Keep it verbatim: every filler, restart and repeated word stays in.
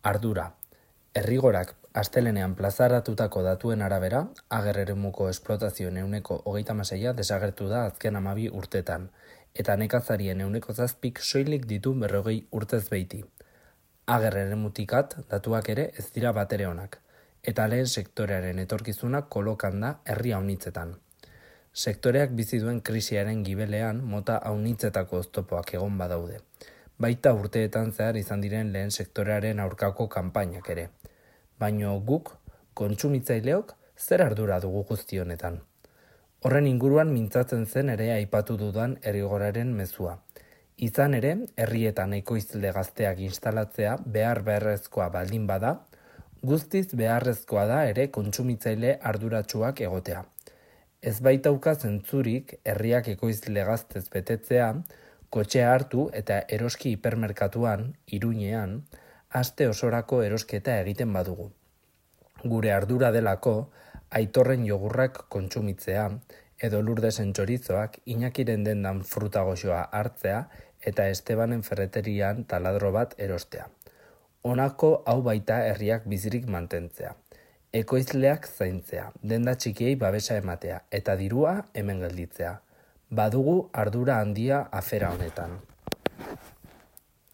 Ardura. Errigorak astelehenean plazaratutako datuen arabera, Ager eremuko esplotazioen ehuneko hogeita hamaseia desagertu da azken hamabi urtetan, eta nekazarien ehuneko zazpik soilik ditu berrogei urtez beiti. Ager eremutikat datuak ere ez dira batere onak, eta lehen sektorearen etorkizuna kolokan da herri haunitzetan. Sektoreak bizi duen krisiaren gibelean mota haunitzetako oztopoak egon badaude. Baita urteetan zehar izan diren lehen sektorearen aurkako kanpainak ere. Baino guk, kontsumitzaileok, zer ardura dugu guzti honetan? Horren inguruan mintzatzen zen ere aipatu dudan errigoraren mezua. Izan ere, herrietan ekoizle gazteak instalatzea behar beharrezkoa baldin bada, guztiz beharrezkoa da ere kontsumitzaile arduratsuak egotea. Ez baitauka zentzurik herriak ekoizle gaztez betetzea, kotxea hartu eta eroski hipermerkatuan, Iruñean, aste osorako erosketa egiten badugu. Gure ardura delako, Aitorren jogurrak kontsumitzea, edo Lurdesen txorizoak, Iñakiren dendan fruta goxoa hartzea eta Estebanen ferreterian taladro bat erostea. Honako hau baita herriak bizirik mantentzea. Ekoizleak zaintzea, denda txikiei babesa ematea, eta dirua hemen gelditzea. Badugu ardura handia afera honetan.